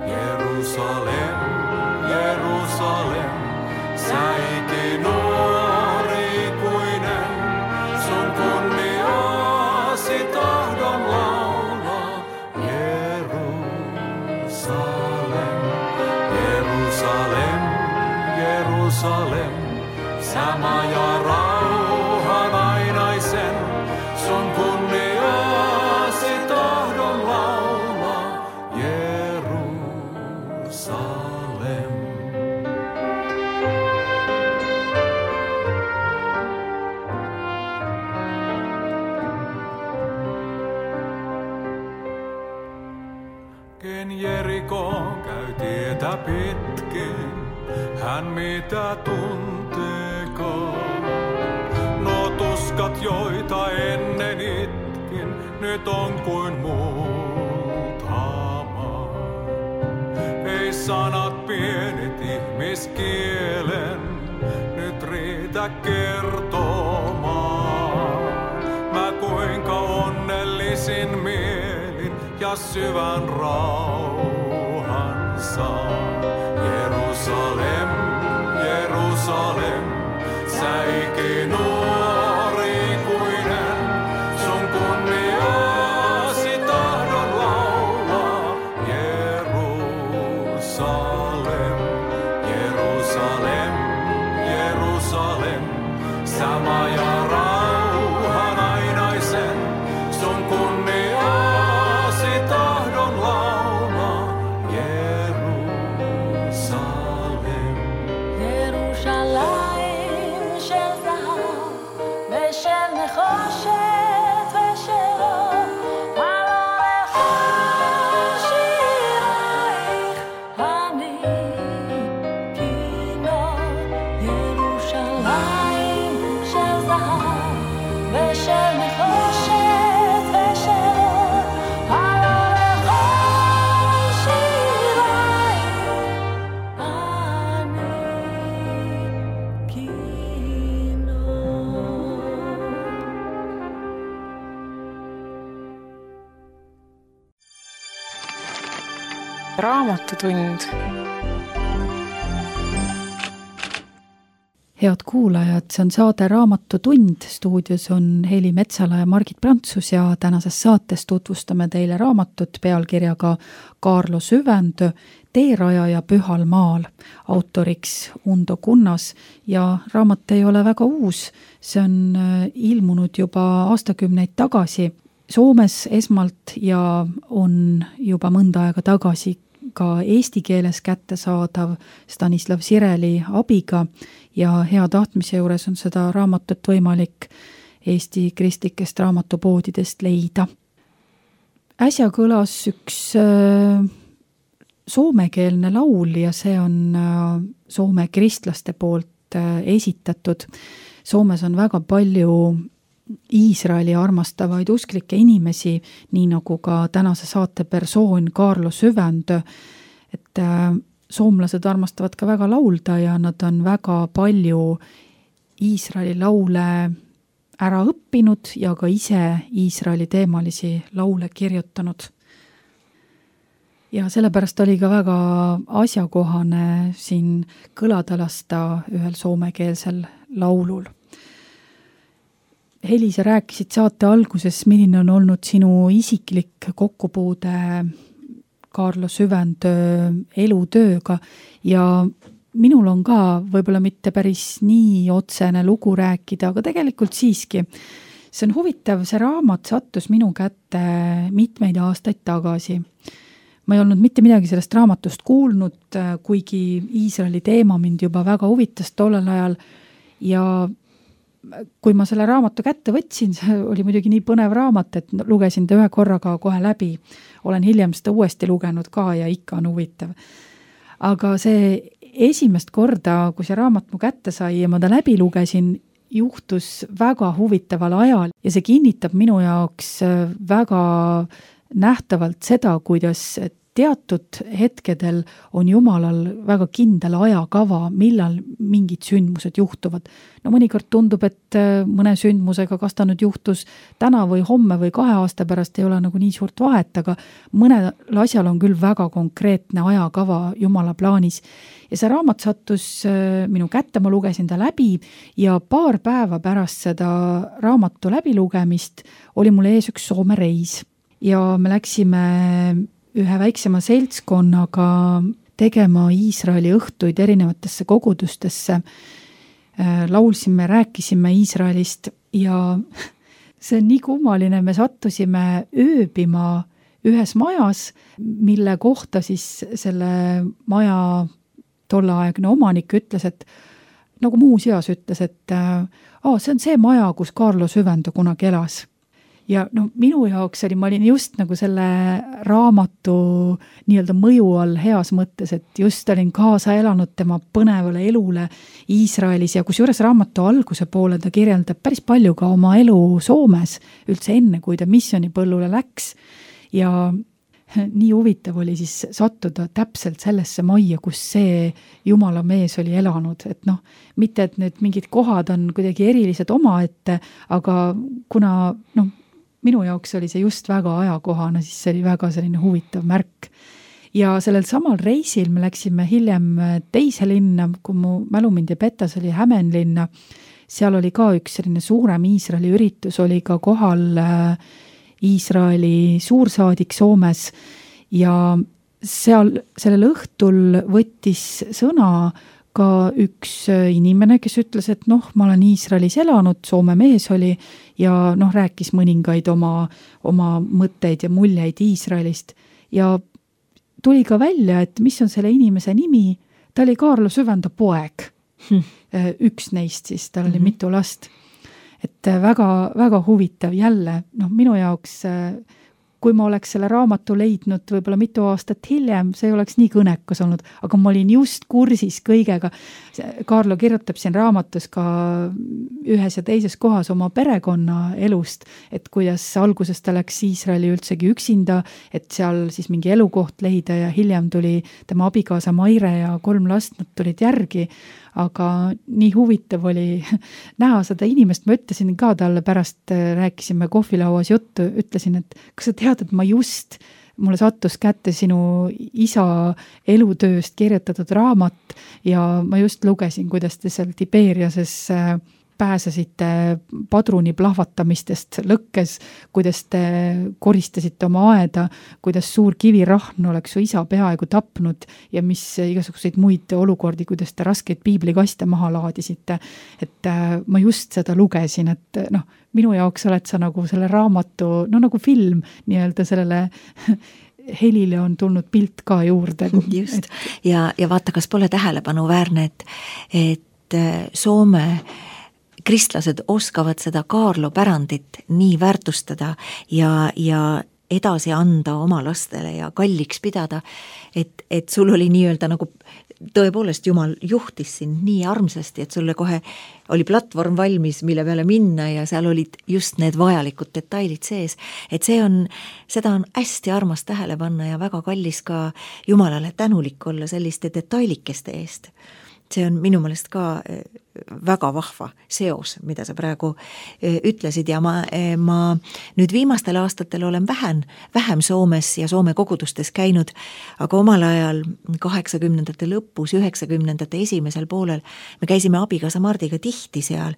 Speaker 1: Jerusalem, Jerusalem, sä ikinuorikuinen, sun kunniaasi tahdon laulaa. Jerusalem, Jerusalem, Jerusalem, sä maja rauhan ainaisen, sun kunniaasi tahdon laulaa. Jerusalem. Ken Jerikoon käy tietä pitkin, hän mitä tunteekaan. No tuskat, joita ennen itkin, nyt on kuin multama. Ei sanat pienet ihmiskielen, nyt riitä kertomaan. Mä kuinka onnellisin mielin ja syvän rauhan saan. Jerusalem, Jerusalem, sä ikinuorikuinen, sun kunniaasi tahdon laulaa. Jerusalem, Jerusalem, Jerusalem, sä maja rauhan ainaisen, sun kunniaasi tahdon laulaa. Jerusalem.
Speaker 4: ירושלים של זהב ושל נחושת ושל אור, הלא לכל שירייך אני כינור. ירושלים של זהב ושל נחושת ושל אור, הלא לכל שירייך אני כינור.
Speaker 5: Raamatutund.
Speaker 2: Head kuulajad, see on saade Raamatutund, stuudios on Heli Metsala ja Margit Prantsus ja tänases saates tutvustame teile raamatut pealkirjaga Kaarlo Süvendö, Teerajaja Pühal maal, autoriks Undo Kunnas ja raamat ei ole väga uus, see on ilmunud juba aastakümneid tagasi Soomes esmalt ja on juba mõnda aega tagasi ka eesti keeles kättesaadav Stanislav Sireli abiga ja hea tahtmise juures on seda raamatut võimalik Eesti kristlikest raamatupoodidest leida. Äsja kõlas üks soomekeelne laul ja see on Soome kristlaste poolt esitatud. Soomes on väga palju Iisraeli armastavaid usklikke inimesi, nii nagu ka tänase saate persoon Kaarlo Süvendö, et soomlased armastavad ka väga laulda ja nad on väga palju Iisraeli laule ära õppinud ja ka ise Iisraeli teemalisi laule kirjutanud. Ja sellepärast oli ka väga asjakohane siin kõlada lasta ühel soomekeelsel laulul. Heli, sa rääkisid saate alguses, milline on olnud sinu isiklik kokkupuude Kaarlo Süvendöö elutööga ja minul on ka võib-olla mitte päris nii otsene lugu rääkida, aga tegelikult siiski. See on huvitav, see raamat sattus minu kätte mitmeid aastaid tagasi. Ma ei olnud mitte midagi sellest raamatust kuulnud, kuigi Iisraeli teema mind juba väga huvitas tollel ajal ja kui ma selle raamatu kätte võtsin, see oli muidugi nii põnev raamat, et lugesin ta ühe korraga kohe läbi. Olen hiljem seda uuesti lugenud ka ja ikka on huvitav. Aga see esimest korda, kui see raamat mu kätte sai ja ma ta läbi lugesin, juhtus väga huvitaval ajal ja see kinnitab minu jaoks väga nähtavalt seda, kuidas teatud hetkedel on Jumalal väga kindel ajakava, millal mingid sündmused juhtuvad. No mõnikord tundub, et mõne sündmusega, kas ta nüüd juhtus täna või homme või 2 aasta pärast, ei ole nagu nii suurt vahet, aga mõnel asjal on küll väga konkreetne ajakava Jumala plaanis. Ja see raamat sattus minu kätte, ma lugesin ta läbi ja paar päeva pärast seda raamatu läbilugemist oli mul ees üks Soome reis ja me läksime ühe väiksema seltskonnaga tegema Iisraeli õhtuid erinevatesse kogudustesse. Laulsime, rääkisime Iisraelist ja see on nii kummaline, me sattusime ööbima ühes majas, mille kohta siis selle maja tolleaegne omanik ütles, et nagu muuseas ütles, et see on see maja, kus Kaarlo Süvendöö kunagi elas. Ja no minu jaoks oli, ma olin just nagu selle raamatu nii-öelda mõju all heas mõttes, et just olin kaasa elanud tema põnevale elule Iisraelis ja kusjuures raamatu alguse poole ta kirjeldab päris palju ka oma elu Soomes üldse enne, kui ta missionipõllule läks ja nii huvitav oli siis sattuda täpselt sellesse majja, kus see Jumala mees oli elanud, et mitte et need mingid kohad on kuidagi erilised omaette, aga kuna minu jaoks oli see just väga ajakohane, siis see oli väga selline huvitav märk. Ja sellel samal reisil me läksime hiljem teise linna, kui mu mälu mind ei peta, see oli Hämeenlinna. Seal oli ka üks selline suurem Iisraeli üritus, oli ka kohal Iisraeli suursaadik Soomes ja sellel õhtul võttis sõna ka üks inimene, kes ütles, et ma olen Iisraelis elanud, Soome mees oli ja rääkis mõningaid oma mõtteid ja muljeid Iisraelist ja tuli ka välja, et mis on selle inimese nimi, ta oli Kaarlo Süvendöö poeg. Üks neist siis, tal oli mitu last. Et väga, väga huvitav jälle, minu jaoks kui ma oleks selle raamatu leidnud võib-olla mitu aastat hiljem, see ei oleks nii kõnekas olnud, aga ma olin just kursis kõigega. Kaarlo kirjutab siin raamatus ka ühes ja teises kohas oma perekonna elust, et kuidas alguses ta läks Iisraeli üldsegi üksinda, et seal siis mingi elukoht leida ja hiljem tuli tema abikaasa Maire ja 3 last, nad tulid järgi, aga nii huvitav oli näha seda inimest, ma ütlesin ka talle pärast, rääkisime kohvilauas juttu, ütlesin, et kas sa tead, et mulle sattus kätte sinu isa elutööst kirjutatud raamat ja ma just lugesin, kuidas te seal Tiberiases pääsesite padruni plahvatamistest lõkkes, kuidas te koristasite oma aeda, kuidas suur kivirahn oleks su isa peaaegu tapnud ja mis igasuguseid muid olukordi, kuidas te raskeid piiblikaste maha laadisite. Et ma just seda lugesin, et minu jaoks oled sa nagu selle raamatu, nagu film nii-öelda sellele Helile on tulnud pilt ka juurde.
Speaker 3: Just. Ja vaata, kas pole tähelepanuväärne, et Soome kristlased oskavad seda Kaarlo pärandit nii väärtustada ja edasi anda oma lastele ja kalliks pidada, et sul oli nii-öelda nagu tõepoolest Jumal juhtis sind nii armsasti, et sulle kohe oli platvorm valmis, mille peale minna ja seal olid just need vajalikud detailid sees. Et seda on hästi armas tähele panna ja väga kallis ka Jumalale tänulik olla selliste detailikeste eest. See on minu meelest ka väga vahva seos, mida sa praegu ütlesid ja ma nüüd viimastel aastatel olen vähem Soomes ja Soome kogudustes käinud, aga omal ajal 80ndate lõpus, 90ndate esimesel poolel me käisime abikaasa Mardiga tihti seal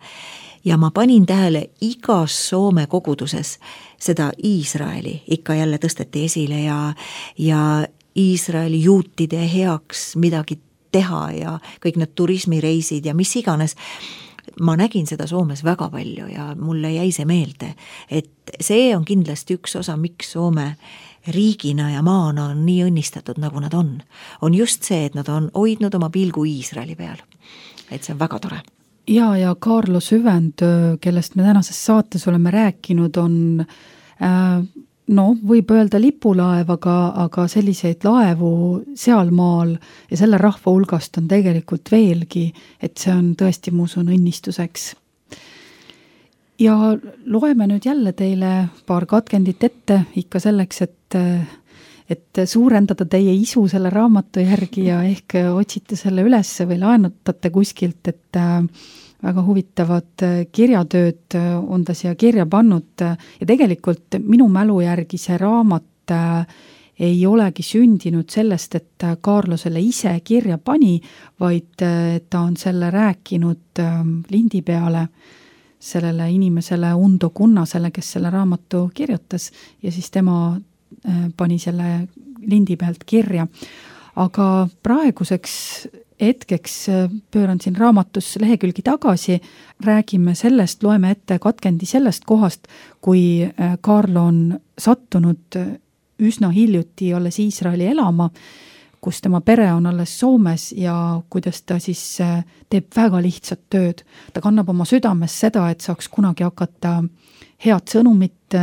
Speaker 3: ja ma panin tähele igas Soome koguduses seda Iisraeli ikka jälle tõsteti esile ja Iisraeli juutide heaks midagi teha ja kõik need turismireisid ja mis iganes. Ma nägin seda Soomes väga palju ja mulle jäi see meelde, et see on kindlasti üks osa, miks Soome riigina ja maana on nii õnnistatud, nagu nad on. On just see, et nad on hoidnud oma pilgu Iisraeli peal. Et see on väga tore.
Speaker 2: Ja Kaarlo Süvendöö, kellest me tänases saates oleme rääkinud, on võib öelda lipulaev, aga selliseid laevu sealmaal ja selle rahva hulgast on tegelikult veelgi, et see on tõesti muusun õnnistuseks. Ja loeme nüüd jälle teile paar katkendit ette ikka selleks, et suurendada teie isu selle raamatu järgi ja ehk otsite selle üles või laenutate kuskilt, et väga huvitavad kirjatööd on ta siia kirja pannud ja tegelikult minu mälu järgi see raamat ei olegi sündinud sellest, et Kaarlo selle ise kirja pani, vaid ta on selle rääkinud lindi peale sellele inimesele Undo Kunnasele, kes selle raamatu kirjutas ja siis tema pani selle lindi pealt kirja. Aga praeguseks hetkeks pööran siin raamatus lehekülgi tagasi, räägime sellest, loeme ette katkendi sellest kohast, kui Kaarlo on sattunud üsna hiljuti alles Iisraeli elama, kus tema pere on alles Soomes ja kuidas ta siis teeb väga lihtsat tööd. Ta kannab oma südames seda, et saaks kunagi hakata head sõnumit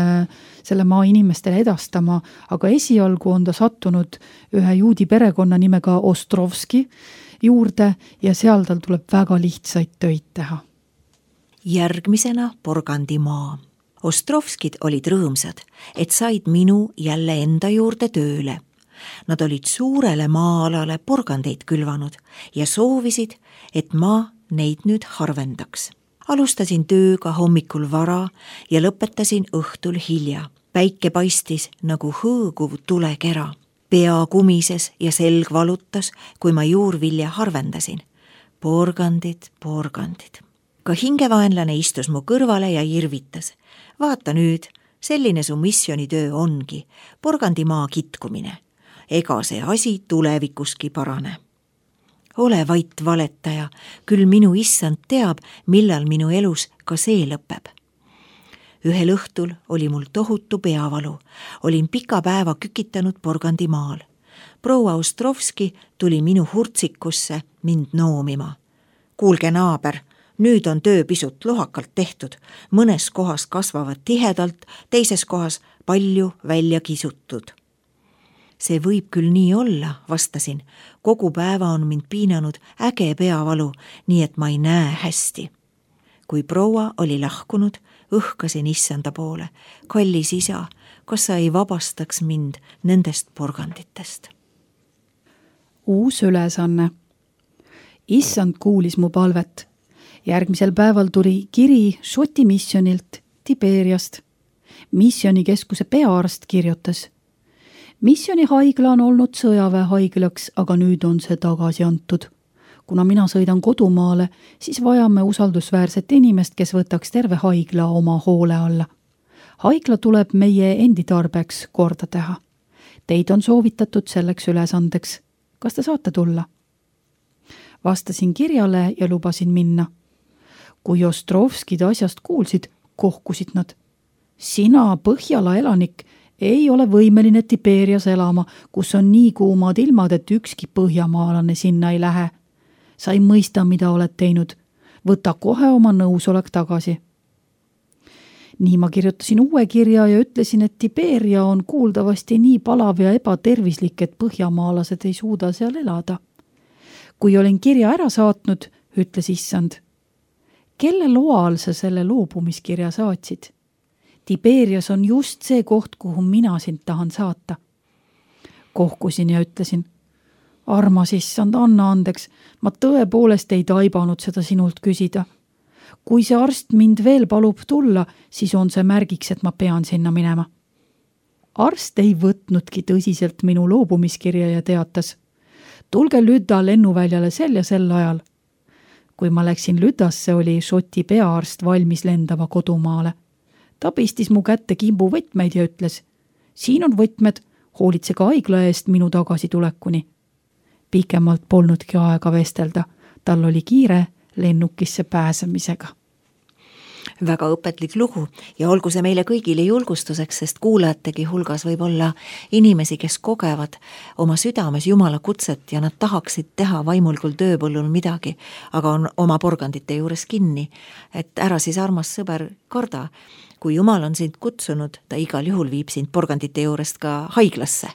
Speaker 2: selle maa inimestele edastama, aga esialgu on ta sattunud ühe juudi perekonna nimega Ostrovski juurde ja seal tal tuleb väga lihtsaid töid teha.
Speaker 3: Järgmisena Porgandimaa. Ostrovskid olid rõõmsad, et said minu jälle enda juurde tööle. Nad olid suurele maa-alale porgandeid külvanud ja soovisid, et ma neid nüüd harvendaks. Alustasin tööga hommikul vara ja lõpetasin õhtul hilja. Päike paistis nagu hõõguv tulekera. Pea kumises ja selg valutas, kui ma juurvilja harvendasin. Porgandid. Ka hingevaenlane istus mu kõrvale ja irvitas. Vaata nüüd, selline su missionitöö ongi, Porgandimaa kitkumine. Ega see asi tulevikuski parane. Ole vait valetaja, küll minu issand teab, millal minu elus ka see lõpeb. Ühel õhtul oli mul tohutu peavalu. Olin pika päeva kükitanud Porgandimaal. Proua Ostrovski tuli minu hurtsikusse mind noomima. Kuulge naaber, nüüd on töö pisut lohakalt tehtud. Mõnes kohas kasvavad tihedalt, teises kohas palju välja kisutud. See võib küll nii olla, vastasin. Kogu päeva on mind piinanud äge peavalu, nii et ma ei näe hästi. Kui proua oli lahkunud, õhkasin issanda poole. Kallis isa, kas sa ei vabastaks mind nendest porganditest?
Speaker 2: Uus ülesanne. Issand kuulis mu palvet. Järgmisel päeval tuli kiri Šoti missionilt Tiberiast. Missionikeskuse peaarst kirjutas. Missioni haigla on olnud sõjaväehaiglaks, aga nüüd on see tagasi antud. Kuna mina sõidan kodumaale, siis vajame usaldusväärset inimest, kes võtaks terve haigla oma hoole alla. Haigla tuleb meie endi tarbeks korda teha. Teid on soovitatud selleks ülesandeks. Kas te saate tulla? Vastasin kirjale ja lubasin minna. Kui Ostrovskid asjast kuulsid, kohkusid nad. Sina, Põhjala elanik, ei ole võimeline Tiberias elama, kus on nii kuumad ilmad, et ükski põhjamaalane sinna ei lähe. Sa ei mõista, mida oled teinud. Võta kohe oma nõusolek tagasi. Nii ma kirjutasin uue kirja ja ütlesin, et Tiberia on kuuldavasti nii palav ja ebatervislik, et põhjamaalased ei suuda seal elada. kui olin kirja ära saatnud, ütles issand. Kelle loal sa selle loobumiskirja saatsid? Tiberias on just see koht, kuhu mina sind tahan saata. Kohkusin ja ütlesin, armas issand, anna andeks, ma tõepoolest ei taibanud seda sinult küsida. Kui see arst mind veel palub tulla, siis on see märgiks, et ma pean sinna minema. Arst ei võtnudki tõsiselt minu loobumiskirja ja teatas, tulge Lüda lennuväljale sel ja sel ajal. Kui ma läksin Lüdasse, oli Šoti peaarst valmis lendama kodumaale. Ta pistis mu kätte kimbu võtmeid ja ütles, siin on võtmed, hoolitsege haigla eest minu tagasitulekuni. Pikemalt polnudki aega vestelda, tal oli kiire lennukisse pääsemisega.
Speaker 3: Väga õpetlik lugu ja olgu see meile kõigile julgustuseks, sest kuulajategi hulgas võib olla inimesi, kes kogevad oma südames Jumala kutset ja nad tahaksid teha vaimulikul tööpõllul midagi, aga on oma porgandite juures kinni. Et ära siis, armas sõber, karda. Kui Jumal on sind kutsunud, ta igal juhul viib sind porgandite juurest ka haiglasse.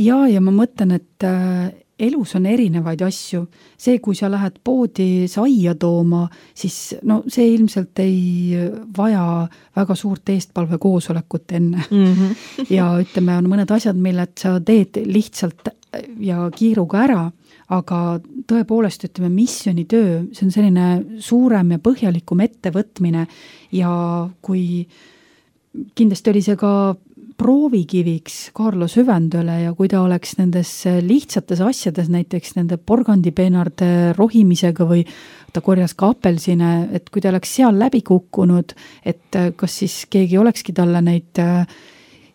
Speaker 2: Ja ma mõtlen, et elus on erinevaid asju. See, kui sa lähed poodi saia tooma, siis no see ilmselt ei vaja väga suurt eestpalve koosolekut enne. Ja ütleme, on mõned asjad, milled sa teed lihtsalt ja kiiruga ära, aga tõepoolest, ütleme, missionitöö, see on selline suurem ja põhjalikum ettevõtmine ja kui kindlasti oli see ka proovikiviks Carlo Süvendöle ja kui ta oleks nendes lihtsates asjades, näiteks nende porgandipeenarde rohimisega või ta korjas ka apelsine, et kui ta oleks seal läbi kukkunud, et kas siis keegi olekski talle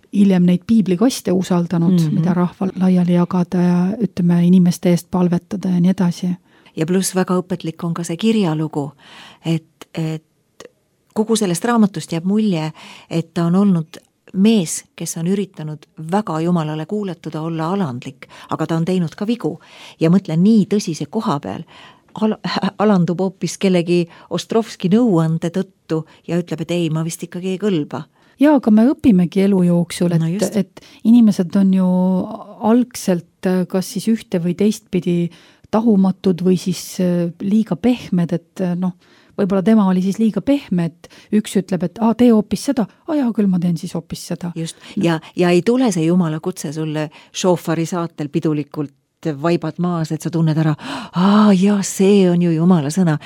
Speaker 2: hiljem neid piiblikaste usaldanud, mida rahval laiali jagada ja ütleme inimeste eest palvetada ja nii edasi.
Speaker 3: Ja pluss väga õpetlik on ka see kirjalugu, et kogu sellest raamatust jääb mulje, et ta on olnud mees, kes on üritanud väga Jumalale kuuletuda, olla alandlik, aga ta on teinud ka vigu ja mõtlen nii tõsise koha peal, alandub hoopis kellegi Ostrovski nõuande tõttu ja ütleb, et ei, ma vist ikkagi ei kõlba.
Speaker 2: Ja, aga me õpimegi elu jooksul, et inimesed on ju algselt kas siis ühte või teistpidi tahumatud või siis liiga pehmed, et võib-olla tema oli siis liiga pehme, et üks ütleb, et tee hoopis seda, jaa, küll ma teen siis hoopis seda.
Speaker 3: Just, ja ei tule see Jumala kutse sulle šoofari saatel pidulikult vaibad maas, et sa tunned ära, ja see on ju Jumala sõna.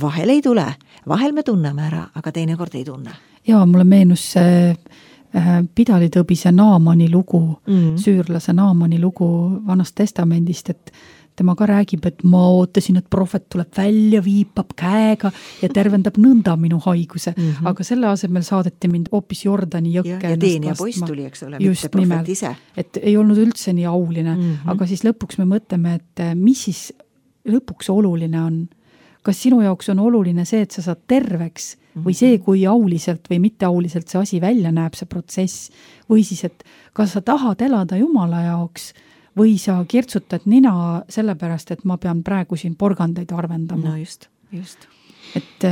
Speaker 3: Vahel ei tule, vahel me tunneme ära, aga teinekord ei tunne.
Speaker 2: Jaa, mulle meenus see pidalitõbise Naamani lugu, süürlase Naamani lugu Vanast testamendist, et tema ka räägib, et ma ootasin, et prohvet tuleb välja, viipab käega ja tervendab nõnda minu haiguse. Aga selle asemel saadeti mind hoopis Jordani jõkke.
Speaker 3: Ja teenija poiss tuli, eks ole, mitte prohvet ise.
Speaker 2: Et ei olnud üldse nii auline, aga siis lõpuks me mõtleme, et mis siis lõpuks oluline on. Kas sinu jaoks on oluline see, et sa saad terveks või see, kui auliselt või mitte auliselt see asi välja näeb, see protsess, või siis, et kas sa tahad elada Jumala jaoks või sa kirtsutad nina sellepärast, et ma pean praegu siin porgandeid arvendama.
Speaker 3: No just.
Speaker 2: Et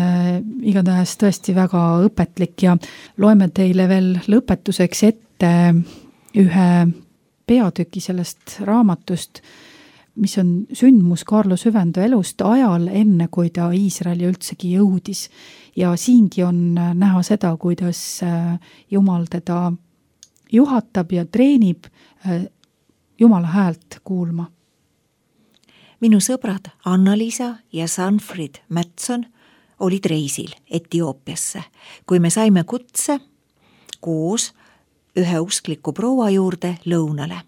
Speaker 2: igatahes tõesti väga õpetlik ja loeme teile veel lõpetuseks ette ühe peatüki sellest raamatust, mis on sündmus Carlo Süvendö elust ajal enne, kui ta Iisraeli üldsegi jõudis. Ja siingi on näha seda, kuidas Jumal teda juhatab ja treenib Jumala häält kuulma.
Speaker 3: Minu sõbrad Anna-Liisa ja Sanfrid Mätson olid reisil Etioopiasse, kui me saime kutse koos ühe uskliku proua juurde lõunale.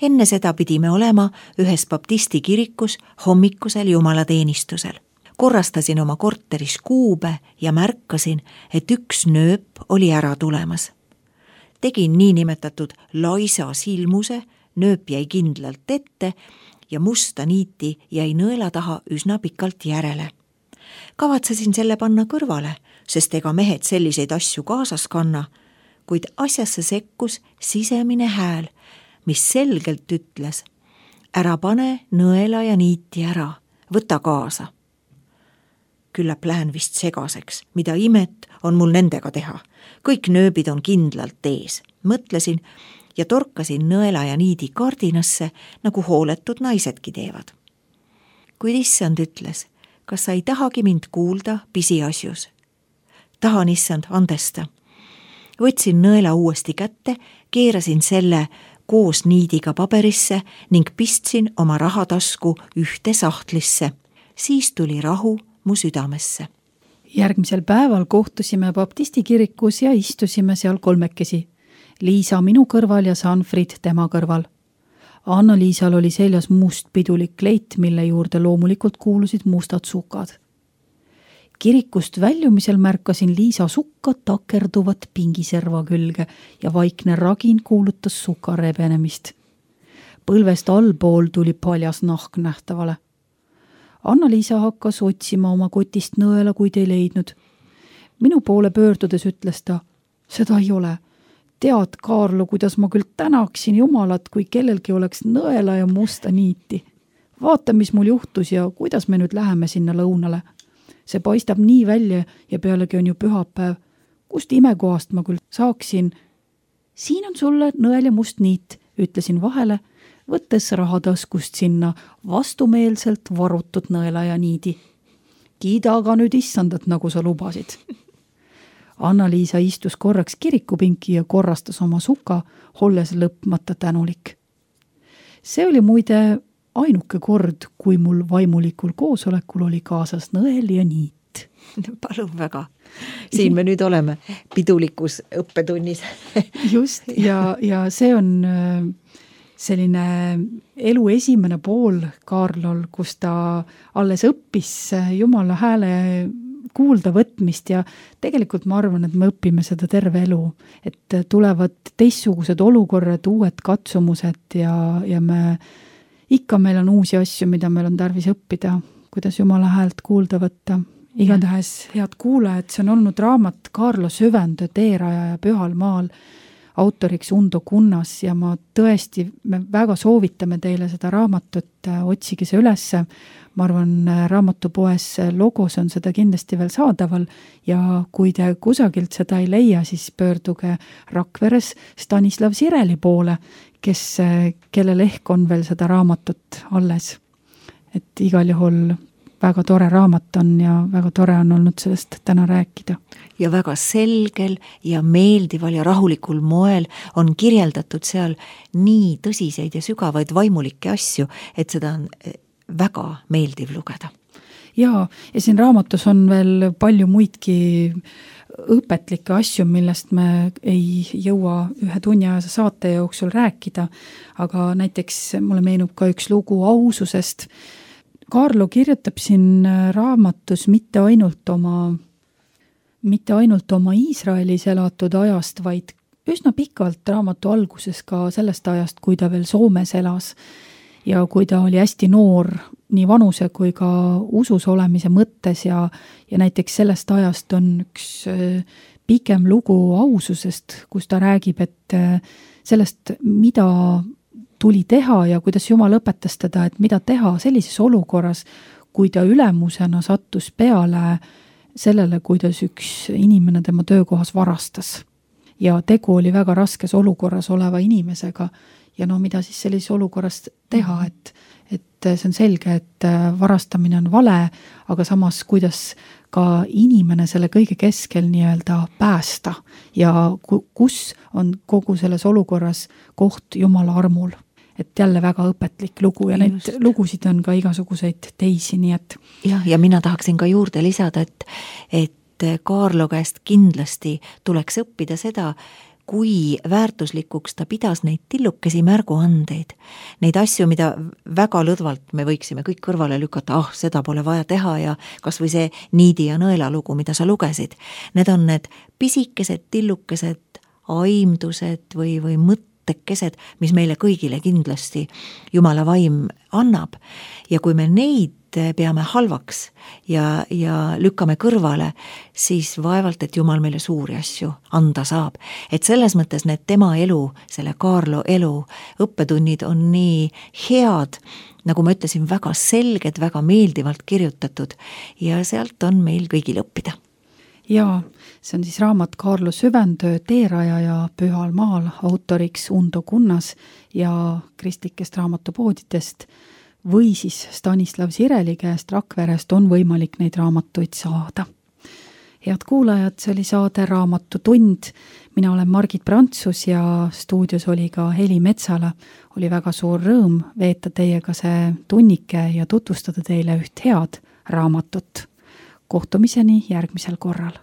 Speaker 3: Enne seda pidime olema ühes baptisti kirikus hommikusel jumalateenistusel. Korrastasin oma korteris kuube ja märkasin, et üks nööp oli ära tulemas. Tegin niinimetatud laisa silmuse, nööp jäi kindlalt ette ja musta niiti jäi nõela taha üsna pikalt järele. Kavatsesin selle panna kõrvale, sest ega mehed selliseid asju kaasas kanna, kuid asjasse sekkus sisemine hääl, mis selgelt ütles, ära pane nõela ja niiti ära, võta kaasa. Küllap lähen vist segaseks, mida imet on mul nendega teha. Kõik nööbid on kindlalt ees, mõtlesin ja torkasin nõela ja niidi kardinasse, nagu hooletud naisedki teevad. kuid issand ütles, kas sa ei tahagi mind kuulda pisiasjus? Tahan, issand, andesta. Võtsin nõela uuesti kätte, keerasin selle koos niidiga paberisse ning pistsin oma rahatasku ühte sahtlisse. Siis tuli rahu mu südamesse.
Speaker 2: Järgmisel päeval kohtusime baptisti kirikus ja istusime seal kolmekesi. Liisa minu kõrval ja Sanfrid tema kõrval. Anna-Liisal oli seljas must pidulik kleit, mille juurde loomulikult kuulusid mustad sukad. Kirikust väljumisel märkasin Liisa sukka takerduvat pingiserva külge ja vaikne ragin kuulutas suka rebenemist. Põlvest allpool tuli paljas nahk nähtavale. Anna-Liisa hakkas otsima oma kotist nõela, kuid ei leidnud. Minu poole pöördudes ütles ta, seda ei ole. Tead, Kaarlo, kuidas ma küll tänaksin Jumalat, kui kellelgi oleks nõela ja musta niiti. Vaata, mis mul juhtus ja kuidas me nüüd läheme sinna lõunale. See paistab nii välja ja pealegi on ju pühapäev. Kust imekohast ma küll saaksin? Siin on sulle nõel ja must niit, ütlesin vahele, võttes rahataskust sinna vastumeelselt varutud nõela ja niidi. Kiida aga nüüd issandat, nagu sa lubasid. Anna-Liisa istus korraks kirikupinki ja korrastas oma suka, olles lõpmata tänulik. See oli muide ainuke kord, kui mul vaimulikul koosolekul oli kaasas nõel ja niit.
Speaker 3: Palun väga. Siin me nüüd oleme pidulikus õppetunnis.
Speaker 2: Just, ja see on selline elu esimene pool Kaarlol, kus ta alles õppis Jumala hääle kuulda võtmist ja tegelikult ma arvan, et me õpime seda terve elu, et tulevad teistsugused olukorrad, uued katsumused ja meil on uusi asju, mida meil on tarvis õppida, kuidas Jumala häält kuulda võtta. Igatahes head kuulajad, see on olnud raamat Kaarlo Süvendöö Teeraja ja Pühal maal, autoriks Undo Kunnas ja me väga soovitame teile seda raamatut, otsige see ülesse. Ma arvan, raamatupoes logos on seda kindlasti veel saadaval ja kui te kusagilt seda ei leia, siis pöörduge Rakveres Stanislav Sireli poole, kellel ehk on veel seda raamatut alles. Et igal juhul väga tore raamat on ja väga tore on olnud sellest täna rääkida.
Speaker 3: Ja väga selgel ja meeldival ja rahulikul moel on kirjeldatud seal nii tõsiseid ja sügavaid vaimulikke asju, et seda on väga meeldiv lugeda.
Speaker 2: Ja siin raamatus on veel palju muidki õpetlikke asju, millest me ei jõua ühe tunniajase saate jooksul rääkida, aga näiteks mulle meenub ka üks lugu aususest. Kaarlo kirjutab siin raamatus mitte ainult oma Iisraelis elatud ajast, vaid üsna pikalt raamatu alguses ka sellest ajast, kui ta veel Soomes elas ja kui ta oli hästi noor nii vanuse kui ka usus olemise mõttes ja näiteks sellest ajast on üks pikem lugu aususest, kus ta räägib, et sellest, mida tuli teha ja kuidas Jumal õpetas teda, et mida teha sellises olukorras, kui ta ülemusena sattus peale sellele, kuidas üks inimene tema töökohas varastas. Ja tegu oli väga raskes olukorras oleva inimesega ja mida siis sellises olukorras teha, et see on selge, et varastamine on vale, aga samas kuidas ka inimene selle kõige keskel nii-öelda päästa ja kus on kogu selles olukorras koht Jumala armul. Et jälle väga õpetlik lugu ja neid lugusid on ka igasuguseid teisi, nii et...
Speaker 3: Ja mina tahaksin ka juurde lisada, et Kaarlo käest kindlasti tuleks õppida seda, kui väärtuslikuks ta pidas neid tillukesi märguandeid. Neid asju, mida väga lõdvalt me võiksime kõik kõrvale lükata, seda pole vaja teha ja kas või see niidi ja nõela lugu, mida sa lugesid. Need on need pisikesed, tillukesed aimdused või mõttekesed, mis meile kõigile kindlasti Jumala vaim annab. Ja kui me neid peame halvaks ja lükkame kõrvale, siis vaevalt, et Jumal meile suuri asju anda saab. Et selles mõttes need tema elu, selle Kaarlo elu, õppetunnid on nii head, nagu ma ütlesin, väga selged, väga meeldivalt kirjutatud ja sealt on meil kõigil õppida.
Speaker 2: Ja see on siis raamat Kaarlo Süvendöö Teeraja ja Pühal maal, autoriks Undo Kunnas ja kristlikest raamatupoodidest või siis Stanislav Sireli käest Rakverest on võimalik neid raamatuid saada. Head kuulajad, see oli saade Raamatutund. Mina olen Margit Prantsus ja stuudios oli ka Heli Metsala. Oli väga suur rõõm veeta teiega see tunnike ja tutvustada teile üht head raamatut. Kohtumiseni järgmisel korral.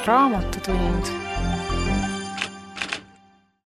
Speaker 5: Raamatutund